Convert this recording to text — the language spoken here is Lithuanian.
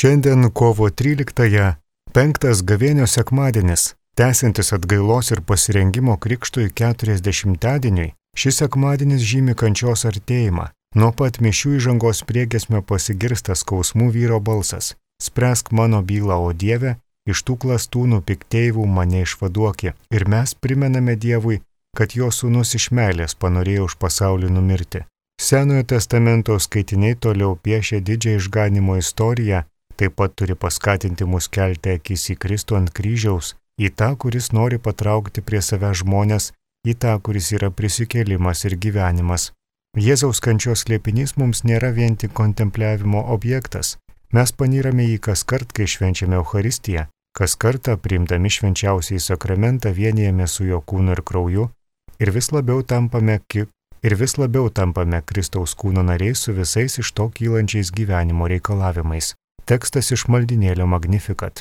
Šiandien kovo 13-ąją, 5. gavėnios sekmadienis, tęsiantis atgailos ir pasirengimo krikštui 40-dieniui, šis sekmadienis žymi kančios artėjimą. Nuo pat mišių įžangos priegiesmio pasigirsta skausmų vyro balsas: spręsk mano bylą, o Dieve, iš tų klastūnų pikteivių mane išvaduoki. Ir mes primename Dievui, kad jo sūnus iš meilės panorėjo už pasaulį numirti. Senojo testamento skaitiniai toliau piešia didžią išganimo istoriją, taip pat turi paskatinti mus kelti akis į Kristų ant kryžiaus, į tą, kuris nori patraukti prie savęs žmonės, į tą, kuris yra prisikėlimas ir gyvenimas. Jėzaus kančios slėpinys mums nėra vien tik kontempliavimo objektas. Mes panyrame jį kas kart, kai švenčiame Eucharistiją, kas kartą priimdami švenčiausiąjį sakramentą vienijame su jo kūnu ir krauju ir vis labiau tampame Kristaus kūno nariais su visais iš to kylančiais gyvenimo reikalavimais. Tekstas iš maldynėlio Magnificat.